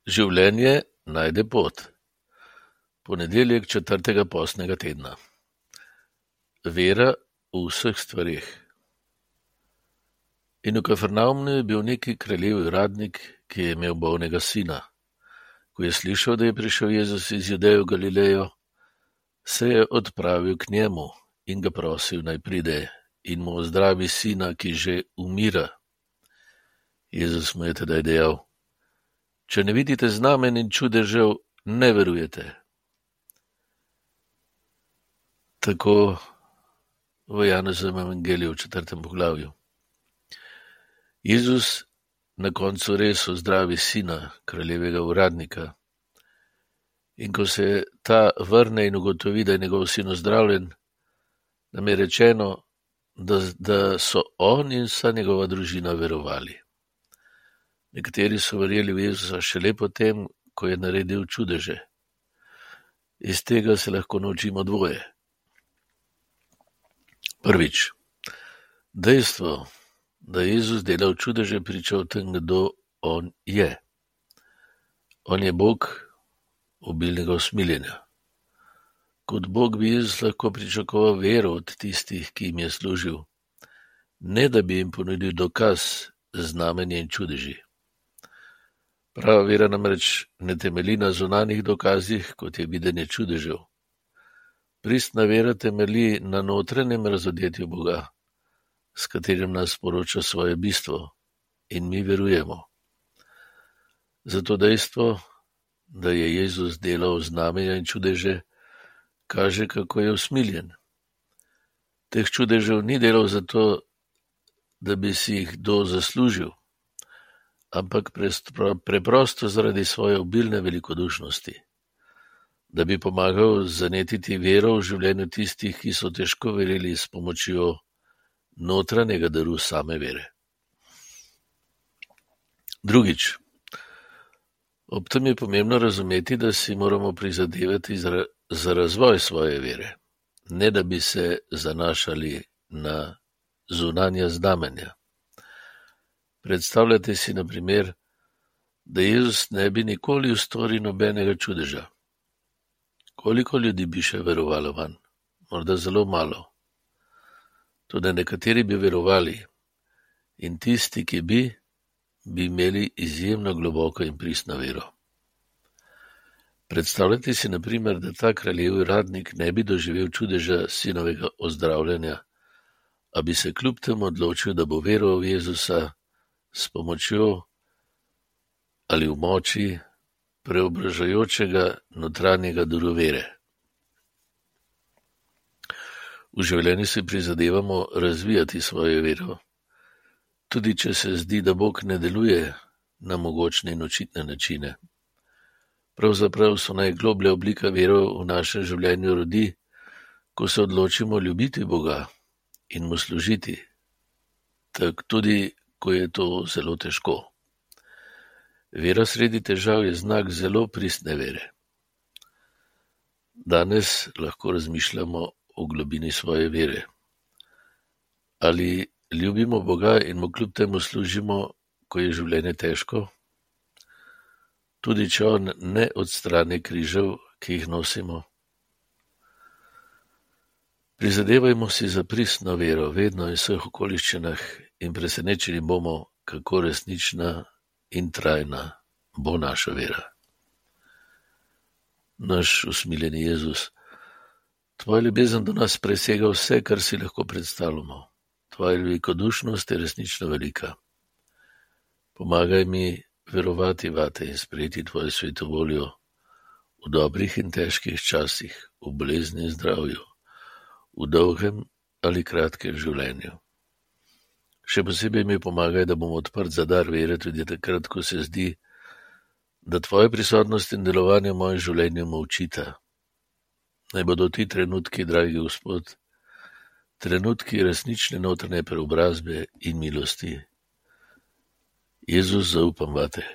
Življenje najde pot. Ponedeljek 4. postnega tedna. Vera v vseh stvareh. In v Kafarnavmu je bil neki kraljev uradnik, ki je imel bolnega sina. Ko je slišal, da je prišel Jezus iz Judeje v Galilejo, se je odpravil k njemu in ga prosil, naj pride in mu ozdravi sina, ki že umira. Jezus mu je tedaj dejal: Če ne vidite znamen in čudežev, ne verujete. Tako v Janezovem evangeliju v 4. poglavju. Jezus na koncu res ozdravi sina kraljevega uradnika. In ko se ta vrne in ugotovi, da je njegov sin ozdravljen, nam je rečeno, da so on in vsa njegova družina verovali. Nekateri so verjeli v Jezusa šele potem, ko je naredil čudeže. Iz tega se lahko naučimo dvoje. Prvič, dejstvo, da je Jezus delal čudeže, priča o tem, kdo on je. On je Bog obilnega usmiljenja. Kot Bog bi Jezus lahko pričakoval vero od tistih, ki jim je služil, ne da bi jim ponudil dokaz, znamenje in čudeži. Prava vera namreč ne temelji na zunanjih dokazih, kot je videnje čudežev. Pristna vera temelji na notranjem razodetju Boga, s katerim nas sporoča svoje bistvo, in mi verujemo. Zato dejstvo, da je Jezus delal znamenja in čudeže, kaže, kako je usmiljen. Teh čudežev ni delal zato, da bi si jih kdo zaslužil, ampak preprosto zaradi svoje obilne velikodušnosti, da bi pomagal zanetiti vero v življenju tistih, ki so težko verjeli s pomočjo notranjega daru same vere. Drugič, ob tem je pomembno razumeti, da si moramo prizadevati za razvoj svoje vere, ne da bi se zanašali na zunanja znamenja. Predstavljate si, na primer, da Jezus ne bi nikoli ustvaril nobenega čudeža. Koliko ljudi bi še verovalo vanj? Morda zelo malo. Toda nekateri bi verovali in tisti, ki bi imeli izjemno globoko in pristno vero. Predstavljate si, na primer, da ta kraljev uradnik ne bi doživel čudeža sinovega ozdravljanja, a bi se kljub temu odločil, da bo veroval v Jezusa s pomočjo ali v moči preobražajočega notranjega daru vere. V življenju si prizadevamo razvijati svojo vero, tudi če se zdi, da Bog ne deluje na mogočne in očitne načine. Pravzaprav so najgloblja oblika vere v našem življenju rodi, ko se odločimo ljubiti Boga in mu služiti, tako tudi, ko je to zelo težko. Vera sredi težav je znak zelo pristne vere. Danes lahko razmišljamo o globini svoje vere. Ali ljubimo Boga in mu kljub temu služimo, ko je življenje težko? Tudi če on ne odstrani križev, ki jih nosimo. Prizadevajmo si za pristno vero vedno in vseh okoliščinah in presenečeni bomo, kako resnična in trajna bo naša vera. Naš usmiljeni Jezus, tvoja ljubezen do nas presega vse, kar si lahko predstavljamo. Tvoja velikodušnost je resnično velika. Pomagaj mi verovati vate in sprejeti tvojo sveto voljo v dobrih in težkih časih, v bolezni in zdravju, v dolgem ali kratkem življenju. Še posebej mi pomagaj, da bom odprt za dar vere tudi takrat, ko se zdi, da tvoja prisotnost in delovanje v mojem življenju molčita. Naj bodo ti trenutki, dragi Gospod, trenutki resnične notranje preobrazbe in milosti. Jezus, zaupam vate.